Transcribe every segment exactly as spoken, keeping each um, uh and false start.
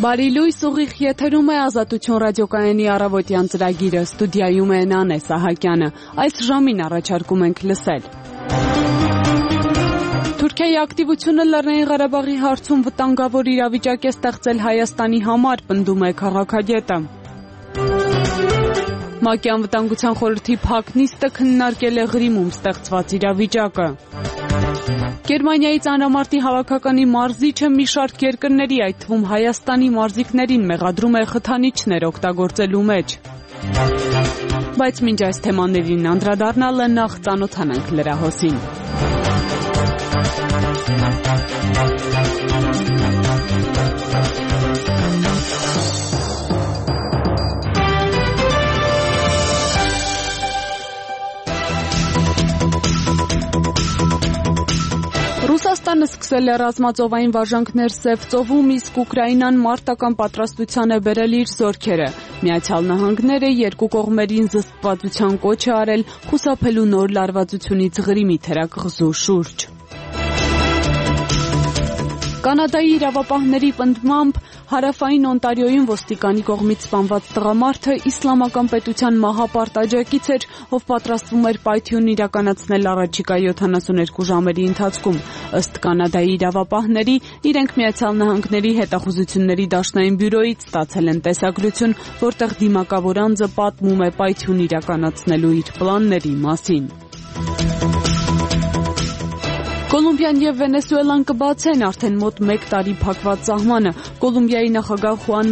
Բարի լույս, ուղիղ եթերում է Ազատություն ռադիոկայանի առավոտյան ծրագիրը, ստուդիայում է Նանե Սահակյանը։ Այս ժամին առաջարկում ենք լսել. Թուրքիայի ակտիվությունը Լեռնային Ղարաբաղի հարցում վտանգավոր իրավիճակ է ստեղծել Հայաստանի համար, պնդում է քաղաքագետը։ ՄԱԿ-ի անվտանգության խորհրդի փակ նիստը քննարկել է Ղրիմում ստեղծված իրավիճակը։ Գերմանիայի ծանրամարտի հավաքականի մարզիչը մի շարք երկրների, այդ թվում Հայաստանի մարզիկներին մեղադրում է խթանիչներ օգտագործելու մեջ։ Բայց մինչ այս թեմաներին անդրադառնալը նախ ծանոթանանք լրահոսին։ Ռուսաստանը սկսել է ռազմածովային վարժանքներ Սև ծովում, իսկ Ուկրաինան մարտական պատրաստության է բերել իր զորքերը։ Միացյալ Նահանգները երկու կողմերին զսպվածության կոչ է արել խուսափելու նոր լարվածությունից Ղրիմի թերակղզու շուրջ։ Կանադայի իրավապահների պնդմամբ հարավային Օնտարիոյում ոստիկանի կողմից սպանված տղամարդը իսլամական պետության մահապարտ աջակից էր, ով պատրաստվում էր պայթյուն իրականացնել առաջիկա յոթանասունեքու ժամերի ընթացքում։ Ըստ Կանադայի իրավապահների, իրենք Միացյալ Նահանգների հետախուզությունների դաշնային բյուրոյից ստացել են տեսագրություն, որտեղ դիմակավոր անձը պատմում է պայթյուն իրականացնելու իր պլանների մասին։ Կոլումբիան և Վենեսուելան կբացեն արդեն մոտ մեկ տարի փակված սահմանը։ Կոլումբիայի նախագահ Խուան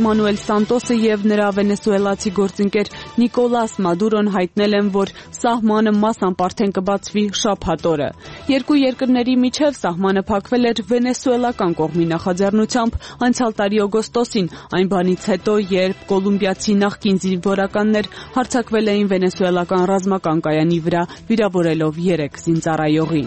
Մանուել Սանտոսը և նրա վենեսուելացի գործընկեր Նիկոլաս Մադուրոն հայտնել են, որ սահմանը մասամբ արդեն կբացվի շաբաթ օրը։ Երկու երկրների միջև սահմանը փակվել էր վենեսուելական կողմի նախաձեռնությամբ անցյալ տարի օգոստոսին, այն բանից հետո, երբ կոլումբիացի նախկին զինվորականներ հարձակվել էին վենեսուելական ռազմական կայանի վրա, վիրավորելով երեք զինծառայողի։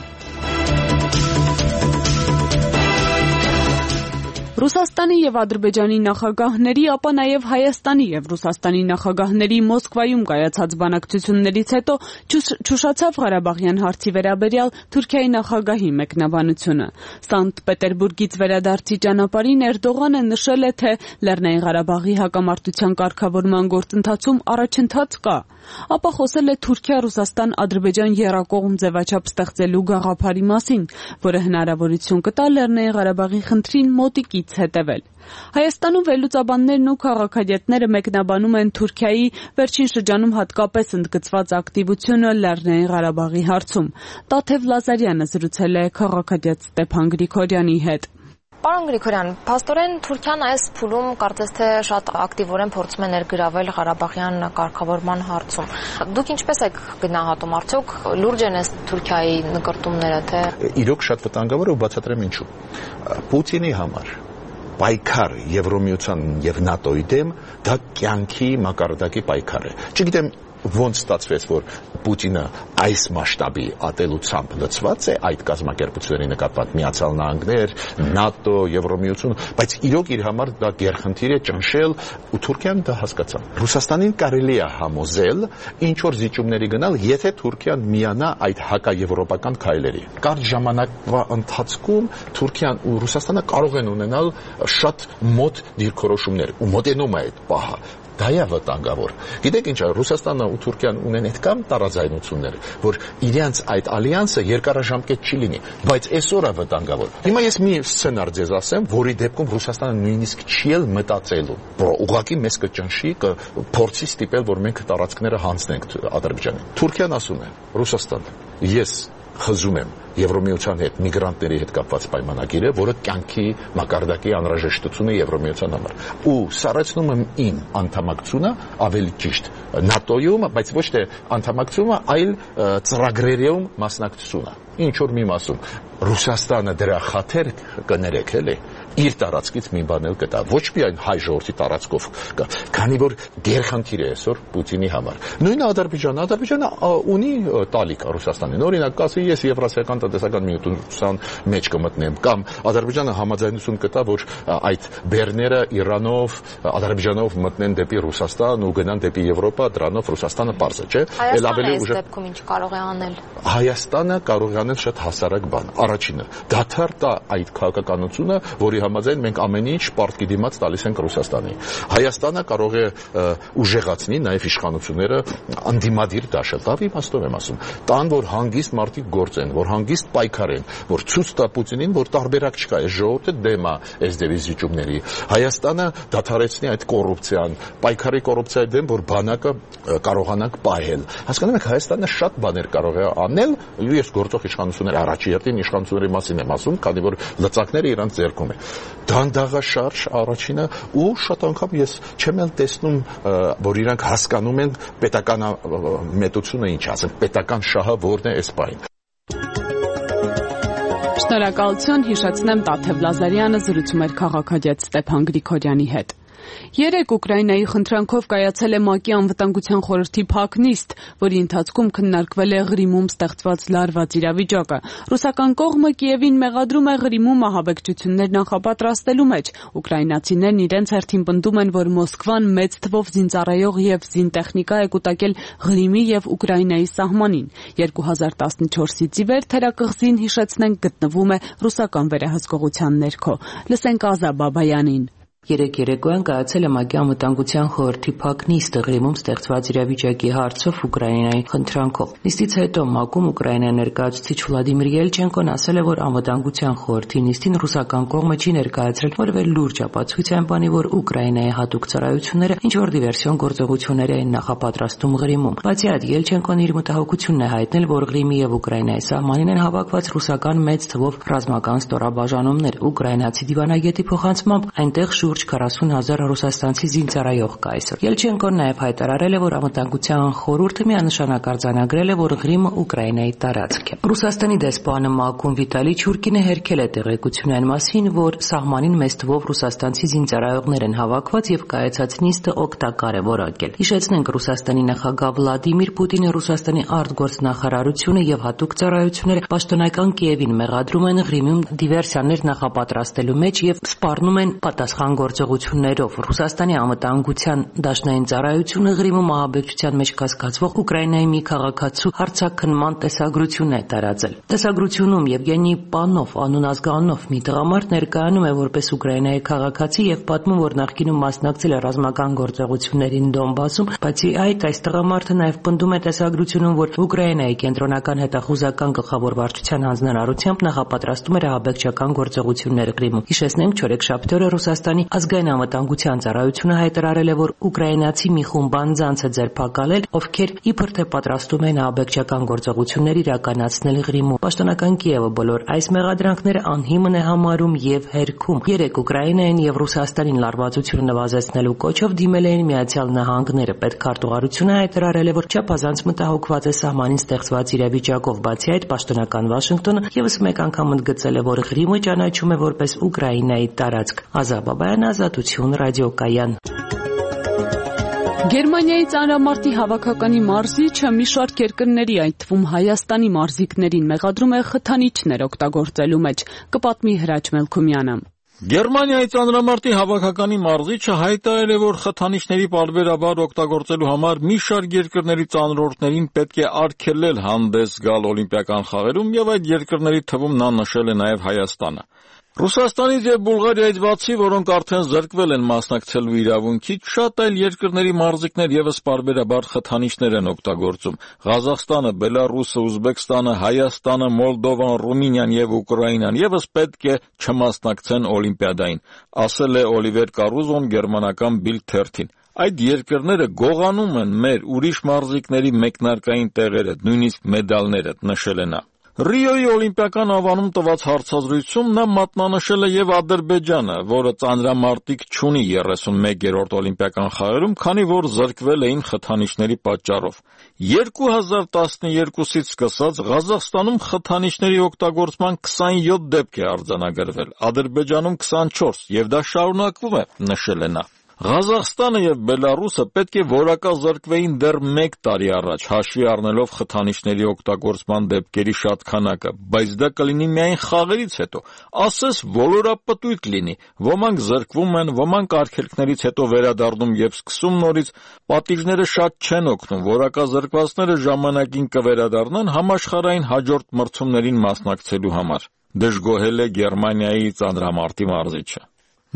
Ռուսաստանի և Ադրբեջանի նախագահների, ապա նաև Հայաստանի և Ռուսաստանի նախագահների Մոսկվայում կայացած բանակցություններից հետո չուշացավ Ղարաբաղյան հարցի վերաբերյալ Թուրքիայի նախագահի մեկնաբանությունը։ Սանկտ Պետերբուրգից վերադարձի ճանապարհին Էրդողանը նշել է, թե Լեռնային Ղարաբաղի հակամարտության կարգավորման գործընթացում առաջընթաց կա, ապա խոսել է Թուրքիա-Ռուսաստան-Ադրբեջան եռակողմ ձևաչափ ստեղծելու գաղափարի մասին, որը հնարավորություն կտա Լեռնային Ղարաբաղի խնդրին մոտիկից հետևել։ Հայաստանում վերլուծաբաններն ու քաղաքագետները մեկնաբանում են Թուրքիայի վերջին շրջանում հատկապես ընդգծված ակտիվությունը Լեռնային Ղարաբաղի հարցում։ Տաթև Լազարյանը զրուցել է քաղաքագետ Ստեփան Գրիգորյանի հետ։ Պարոն Գրիգորյան, փաստորեն Թուրքիան այս փուլում կարծես թե շատ ակտիվորեն փորձում է ներգրավել Ղարաբաղյան կարգավորման հարցում։ Դուք ինչպես եք գնահատում, արդյոք լուրջ են այս Թուրքիայի նկրտումները, թե իրոք շատ վտանգավոր է ու բացատրեմ ինչու։ Պուտինի համար պայքար Եվրոմիության եւ ՆԱՏՕ-ի դեմ դա կյանքի մակարդակի պայքար է։ Չգիտեմ ոնց ստացվեց, որ Պուտինը այս մասշտաբի ատելությամբ լցված է այդ կազմակերպությունների նկատմամբ Միացյալ Նահանգներ, ՆԱՏՕ, Եվրոմիություն, բայց իրոք իր համար դա գերխնդիր է ճնշել ու Թուրքիան դա հասկացավ։ Ռուսաստանին կարելի է համոզել ինչ որ զիջումների գնալ, եթե Թուրքիան միանա այդ հակաեվրոպական քայլերի։ Կարճ ժամանակվա ընթացքում Թուրքիան ու Ռուսաստանը կարող են ունենալ շատ մոտ դիրքորոշումներ ու մոտենում է այդ պահը։ Դա է վտանգավոր։ Գիտեք ինչ է, Ռուսաստանը ու Թուրքիան ունեն այդքան տարաձայնություններ, որ իրենց այդ ալյանսը երկարաժամկետ չի լինի, բայց այսօր է վտանգավոր։ Հիմա ես մի սցենար ձեզ ասեմ, որի դեպքում Ռուսաստանը նույնիսկ չի էլ մտածելու, որ ուղղակի մեզ կճնշի, կփորձի ստիպել, որ մենք տարածքները հանձնենք Ադրբեջանին։ Թուրքիան ասում է, Ռուսաստան, ես խզում եմ Եվրոմիության հետ միգրանտների հետ կապված պայմանագիրը, որը կյանքի մակարդակի անհրաժեշտությունը Եվրոմիության համար։ Ու սառեցնում եմ իմ անդամակցությունը, ավելի ճիշտ ՆԱՏՕ-ում, բայց ոչ թե անդամակցումը, այլ ծրագրերում մասնակցությունը։ Ինչ որ մի մասում Ռուսաստանը դրա խաթեր կներեք, էլի, իր տարածքից մի բան էլ կտա, ոչ միայն հայ ժողովրդի տարածքով, քանի որ գերխնդիր է այսօր Պուտինի համար։ Նույնը Ադրբեջանը, Ադրբեջանը ունի տալիք Ռուսաստանին։ Օրինակ, ասի ես Եվրասիական տնտեսական միության մեջ կմտնեմ, կամ Ադրբեջանը համաձայնություն կտա, որ այդ բեռները Իրանով, Ադրբեջանով մտնեն դեպի Ռուսաստան ու գնան դեպի Եվրոպա, դրանով Ռուսաստանը պարզ է, չէ՞։ Հայաստանը այս դեպքում ինչ կարող է անել։ Հայաստանը կարող է անել շատ հասարակ բան։ Առաջինը, դադար տա այդ քաղաքականությունը, որի համաձայն մենք ամեն ինչ պարտքի դիմաց տալիս ենք Ռուսաստանի։ Հայաստանը կարող է ուժեղացնի նաև իշխանությունները անդիմադիր դաշել։ Դա իմաստով եմ ասում։ Տան, որ հանգիստ մարդիկ գործեն, որ հանգիստ պայքարեն, որ ցույց տա Պուտինին, որ տարբերակ չկա, այս ժողովուրդը դեմ է այս դեվիզիճումների։ Հայաստանը դադարեցնի այդ կոռուպցիան, պայքարի կոռուպցիայի դեմ, որ բանակը կարողանանք պահել։ Հասկանում եք, Հայաստանը շատ բաներ կարող է անել, ես գործող իշխանությունների առաջի հերթին իշխանությունների մասին եմ ասում, քանի որ լծակները իրանց ձեռքում է։ Դանդաղաշարժ առաջինը ու շատ անգամ ես չեմ էլ տեսնում, որ իրանք հասկանում են պետական մետությունը ինչ, ասենք պետական շահը որն է այս պահին։ Շնորհակալություն, հիշեցնեմ Տաթև Լազարյանը զրուցում էր քաղաքագետ Ստեփան Գրիգորյանի հետ։ Երեկ Ուկրաինայի խնդրանքով կայացել է ՄԱԿ-ի անվտանգության խորհրդի փակ նիստ, որի ընթացքում քննարկվել է Ղրիմում ստեղծված լարված իրավիճակը։ Ռուսական կողմը Կիևին մեղադրում է Ղրիմում ահաբեկչություններ նախապատրաստելու մեջ։ Ուկրաինացիներն իրենց հերթին պնդում են, որ Մոսկվան մեծ թվով զինծառայող եւ զինտեխնիկա է կուտակել Ղրիմի եւ Ուկրաինայի սահմանին։ երկու հազար տասնչորսից ի վեր թերակղզին, հիշեցնենք, գտնվում է ռուսական վերահսկողության ներքո։ Լսենք Ազա Բաբայանին։ Երեկ երեկոյան կայացել է ՄԱԿ-ի անվտանգության խորհրդի փակ նիստը Ղրիմում ստեղծված իրավիճակի հարցով Ուկրաինայի խնդրանքով։ Նիստից հետո ՄԱԿ-ում Ուկրաինայի ներկայացուցիչ Վլադիմիր Ելչենկոն ասել է, որ անվտանգության խորհրդի նիստին ռուսական կողմը չի ներկայացրել որևէ լուրջ ապացույց, բանի որ Ուկրաինայի հատուկ ծառայությունները ինչ-որ դիվերսիոն գործողություններ էին նախապատրաստում Ղրիմում։ Բացի այդ, Ելչենկոն իր մտահոգությունն է հայտնել, որ Ղրիմի եւ Ուկրաինայի սահմանին են հավաքված ռուսական մեծ թվով ռազմական ստորաբաժանումներ։ Ուկրաինացի դիվանագետի փոխանցմամբ այնտեղ շուրջ քառասուն հազար ռուսաստանցի զինծառայող կա այսօր։ Ելչենկոն նաև հայտարարել է, որ անվտանգության խորհուրդը միանշանակ արձանագրել է, որ Ղրիմը Ուկրաինայի տարածք է։ Ռուսաստանի դեսպանը ՄԱԿ-ում Վիտալի Չուրկինը հերքել է տեղեկություն այն մասին, որ սահմանին մեծ թվով ռուսաստանցի զինծառայողներ են հավաքված եւ կայացած նիստը օգտակար է որակել։ Հիշեցնենք, Ռուսաստանի նախագահ Վլադիմիր Պուտինը Ռուսաստանի արտգործնախարարությունը եւ հատուկ ծառայությունները պաշտոնական Կիևին մեղադրում են Ղրիմում դիվերսիաներ նախապատրաստելու մեջ եւ սպառնում են պատասխան գործողություններով։ Ռուսաստանի անվտանգության դաշնային ծառայությունը Ղրիմում ահաբեկչության մեջ կասկածվող Ուկրաինայի մի քաղաքացու հարցաքննման տեսագրություն է տարածել։ Տեսագրությունում Եվգենի Պանով անուն ազգանունով մի տղամարդ ներկայանում է որպես Ուկրաինայի քաղաքացի եւ պատմում, որ նախկինում մասնակցել է ռազմական գործողություններին Դոնբասում, բացի այդ, այս տղամարդը նաեւ պնդում է տեսագրությունում, որ Ուկրաինայի կենտրոնական հետախուզական գլխավոր վարչության հանձնարարությամբ նախապատրաստում էր ահաբեկչական գործողություններ Ղրիմում։ Հիշեցնենք, չորեքշաբթի օրը Ռուսաստանի ազգային անվտանգության ծառայությունը հայտարարել է, որ ուկրաինացի մի խումբ անձանց է ձերբակալել, ովքեր իբր թե պատրաստում են ահաբեկչական գործողություններ իրականացնել Ղրիմում։ Պաշտոնական Կիևը բոլոր այս մեղադրանքները անհիմն է համարում եւ հերքում։ Երեկ Ուկրաինային եւ Ռուսաստանին լարվածությունը նվազեցնելու կոչով դիմել էին Միացյալ Նահանգները։ Պետքարտուղարությունը հայտարարել է, որ չափազանց մտահոգված է սահմանին ստեղծված իրավիճակով։ Բացի այդ, պաշտոնական Վաշինգտոնը եւս մեկ անգամ ընդգծել է, որ Ղրիմը ճանաչում է որպես Ուկրաինայի տարածք։ Ազա Բաբայան, Ազատություն, ռադիոկայան։ Գերմանիայի ծանրամարտի հավաքականի մարզիչը մի շարք երկրների, այդ թվում Հայաստանի մարզիկներին մեղադրում է խթանիչներ օգտագործելու մեջ, կպատմի Հրաչ Մելքումյանը։ Գերմանիայի ծանրամարտի հավաքականի մարզիչը հայտարարել է, որ խթանիչների պարբերաբար օգտագործելու համար մի շարք երկրների ծանրորդներին պետք է արգելել հանդես գալ օլիմպիական խաղերում եւ այդ երկրների թվում նա նշել է նաեւ Հայաստանը։ Ռուսաստանից եւ Բուլղարիայից բացի, որոնք արդեն զրկվել են մասնակցելու իրավունքից, շատ այլ երկրների մարզիկներ եւս պարբերաբար խթանիչներ են օգտագործում։ Ղազախստանը, Բելարուսը, Ուզբեկստանը, Հայաստանը, Մոլդովան, Ռումինիան եւ Ուկրաինան եւս պետք է չմասնակցեն օլիմպիադային, ասել է Օլիվեր Կարուզոն գերմանական Bild թերթին։ Այդ երկրները գողանում են մեր ուրիշ մարզիկների մեկնարկային տեղերը, նույնիսկ մեդալները, նշել է նա։ Ռիոյի օլիմպիական անվանում տված հարցազրույցում նա մատնանշել է եւ Ադրբեջանը, որը ծանրամարտիկ չունի երեսունմեկերորդ օլիմպիական խաղերում, քանի որ զրկվել էին խթանիչների պատճառով։ երկու հազար տասնյոթից սկսած Ղազախստանում խթանիչների օգտագործման քսանյոթ դեպք է արձանագրվել, Ադրբեջանում քսանչորս, եւ դա շարունակվում է, նշել է նա։ Ղազախստանը եւ Բելարուսը պետք է որակազրկվեին դեռ մեկ տարի առաջ, հաշվի առնելով խթանիչների օգտագործման դեպքերի շատ քանակը, բայց դա կլինի միայն խաղերից հետո, ասես ոլորապտույտ լինի, ոմանք զրկվում են, ոմանք արգելքներից հետո վերադառնում եւ սկսում նորից, պատիժները շատ չեն օգնում, որակազրկվածները ժամանակին կվերադառնան համաշխարհային հաջորդ մրցումներին մասնակցելու համար։ դժգոհել է Գերմանիայի ծանրամարտի մարզիչը։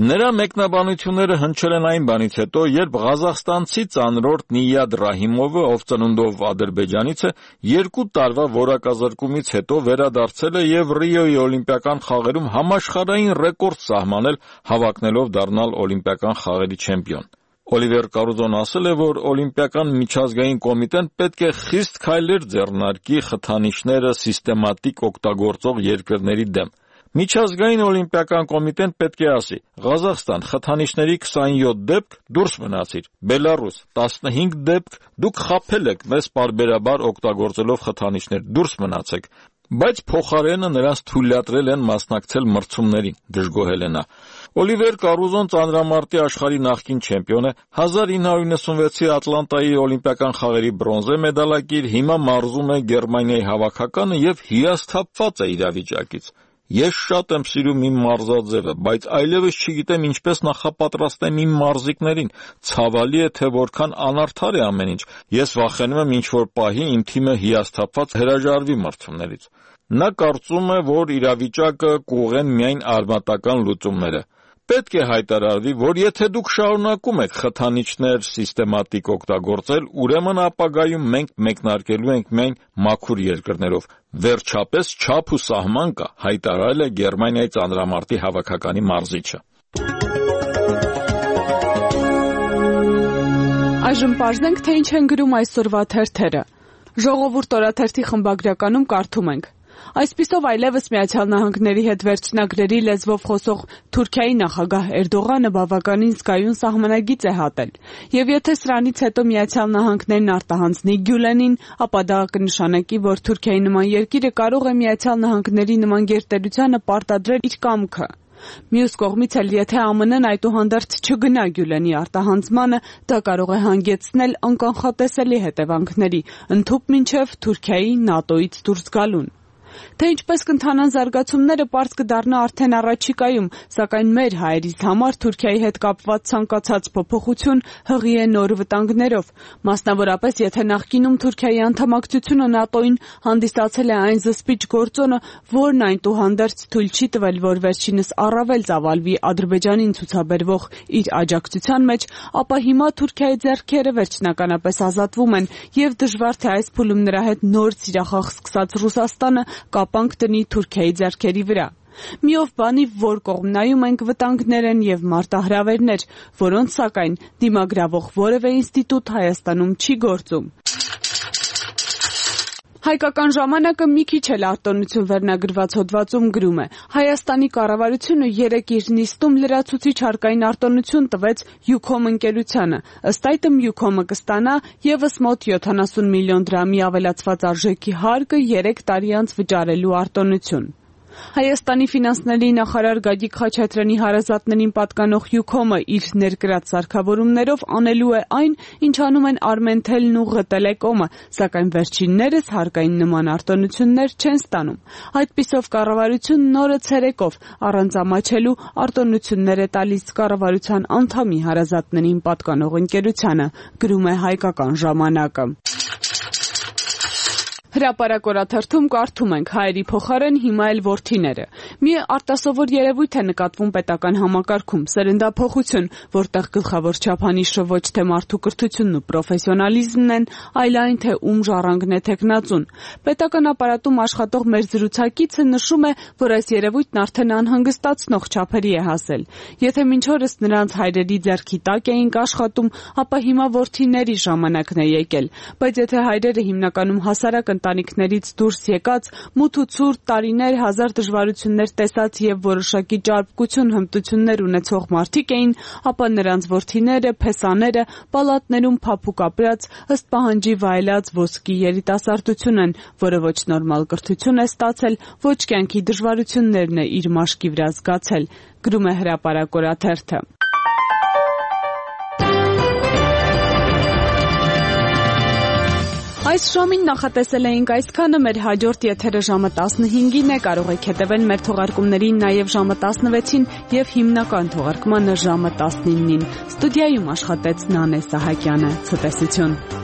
Նրա մեկնաբանությունները հնչել են այն բանից հետո, երբ ղազախստանցի ծանրորդ Նիյադ Ռահիմովը, ով ծնունդով Ադրբեջանից է, երկու տարվա որակազրկումից հետո վերադարձել է եւ Ռիոյի օլիմպիական խաղերում համաշխարհային ռեկորդ սահմանել, հավակնելով դառնալ օլիմպիական խաղերի չեմպիոն։ Օլիվեր Կարուզոն ասել է, որ Օլիմպիական միջազգային կոմիտեն պետք է խիստ քայլեր ձեռնարկի խթանիչները սիստեմատիկ օգտագործող երկրների դեմ։ Միջազգային օլիմպիական կոմիտեն պետք է ասի. Ղազախստան խթանիչների քսանյոթ դեպք, դուրս մնացիր, Բելարուս տասնհինգ դեպք, դուք խաբել եք մեզ պարբերաբար օգտագործելով խթանիչներ, դուրս մնացեք, բայց փոխարենը նրանց թույլատրել են մասնակցել մրցումներին, դժգոհել է նա։ Օլիվեր Կարուզոն ծանրամարտի աշխարհի նախկին չեմպիոն է, հազար ինը հարյուր նվեցունվեցի Ատլանտայի օլիմպիական խաղերի բրոնզե մեդալակիր, հիմա մարզում է Գերմանիայի հավաքականը եւ հիասթափված է իրավիճակից։ Ես շատ եմ սիրում իմ մարզաձևը, բայց այլևս չգիտեմ ինչպես նախապատրաստեմ իմ մարզիկներին։ Ցավալի է, թե որքան անարդար է ամեն ինչ։ Ես վախենում եմ ինչ-որ պահի իմ թիմը հիասթափված հրաժարվի մրցումներից։ Նա կարծում է, որ իրավիճակը կուղղեն միայն արմատական լուծումները։ Պետք է հայտարարվի, որ եթե դուք շարունակում եք խթանիչներ սիստեմատիկ օգտագործել, ուրեմն ապագայում մենք մեկնարկելու ենք միայն մաքուր երկրներով։ Վերջապես չափ ու սահման կա, հայտարարել է Գերմանիայի ծանրամարտի հավաքականի մարզիչը։ Այժմ պարզենք, թե ինչ են գրում այսօրվա թերթերը։ Ժողովուրդ օրաթերթի խմբագրականում կարդում ենք. Այսպիսով այլևս Միացյալ Նահանգների հետ վերջնագրերի լեզվով խոսող Թուրքիայի նախագահ Էրդողանը բավականին զգայուն սահմանագիծ է հատել, եւ եթե սրանից հետո Միացյալ Նահանգներն արտահանձնի Գյուլենին, ապա դա կնշանակի, որ Թուրքիայի նման երկիրը կարող է Միացյալ Նահանգների նման գերտերությանը պարտադրել իր կամքը։ Մյուս կողմից էլ եթե ԱՄՆ-ն այդուհանդերձ չգնա Գյուլենի արտահանձնմանը, դա կարող է հանգեցնել անկանխատեսելի հետևանքների, ընդհուպ մինչև Թուրքիայի ՆԱՏՕ-ից դուրս գալուն։ Թե ինչպես կընթանան զարգացումները, պարզ կդառնա արդեն առաջիկայում, սակայն մեր հայերիս համար Թուրքիայի հետ կապված ցանկացած փոփոխություն հղի է նոր վտանգներով, մասնավորապես եթե նախկինում Թուրքիայի անդամակցությունը ՆԱՏՕ-ին հանդիսացել է այն զսպիչ գործոնը, որն այնուհանդերձ թույլ չի տվել, որ վերջինս առավել ծավալվի Ադրբեջանին ցուցաբերվող իր աջակցության մեջ, ապա հիմա Թուրքիայի ձեռքերը վերջնականապես ազատվում են եւ դժվար թե այս փուլում նրա հետ նոր սիրախաղ սկսած Ռուսաստանը կապանք տնի Թուրքիայի ձեռքերի վրա։ Միով բանի, որ կողմ նայում ենք, վտանգներ են եւ մարտահրավերներ, որոնց սակայն դիմագրավող որևէ ինստիտուտ Հայաստանում չի գործում։ Հայկական ժամանակը մի քիչ էլ արտոնություն վերնագրված հոդվածում գրում է. Հայաստանի կառավարությունը երեկ իր նիստում լրացուցիչ հարկային արտոնություն տվեց Յուքոմ ընկերությանը։ Ըստ այդմ Յուքոմը կստանա եւս մոտ յոթանասուն միլիոն դրամի ավելացված արժեքի հարկը երեք տարի անց վճարելու արտոնություն։ Հայաստանի ֆինանսների նախարար Գագիկ Խաչատրյանի հարազատներին պատկանող Յուքոմը իր ներկրած սարքավորումներով անելու է այն, ինչ անում են Արմենթելն ու ՂՏԼ-կոմը, սակայն վերջիններս հարկային նման արտոնություններ չեն ստանում։ Այդպիսով կառավարությունն նորը ցերեկով առանց ամաչելու արտոնություններ է տալիս կառավարության անդամի հարազատներին պատկանող ընկերությանը, գրում է Հայկական ժամանակը։ Հրապարակ օրաթերթում կարդում ենք. հայերի փոխարեն հիմա էլ որդիները։ Մի արտասովոր երևույթ է նկատվում պետական համակարգում, սերնդափոխություն, որտեղ գլխավոր չափանիշը ոչ թե մարդու կրթությունն ու պրոֆեսիոնալիզմն են, այլ այն, թե ում ժառանգն է թեկնածուն։ Պետական ապարատում աշխատող մեր զրուցակիցը նշում է, որ այս երևույթն արդեն անհանգստացնող չափերի է հասել։ Եթե մինչ օրս նրանց հայրերի ձեռքի տակ էինք աշխատում, ապա հիմա որդիների ժամանակն է եկել, բայց եթե հայրերը հիմնականում հասարակ ընտանիքներից դուրս եկած, մութ ու ցուրտ տարիներ, հազար դժվարություններ տեսած եւ որոշակի ճարպկություն հմտություններ ունեցող մարդիկ էին, ապա նրանց որդիները, փեսաները պալատներում փափուկ ապրած, ըստ պահանջի վայելած ոսկի երիտասարդություն են, որը ոչ նորմալ կրթություն է ստացել, ոչ կյանքի դժվարություններն է իր մաշկի վրա զգացել, գրում է Հրապարակ օրաթերթը։ Այս ժամին նախատեսել էինք այսքանը, մեր հաջորդ եթերը ժամը տասնհինգին է, կարող եք հետևել մեր թողարկումներին նաև ժամը տասնվեցին եւ հիմնական թողարկմանը ժամը տասնինին։ Ստուդիայում աշխատեց Նանե Սահակյանը։ Ցտեսություն։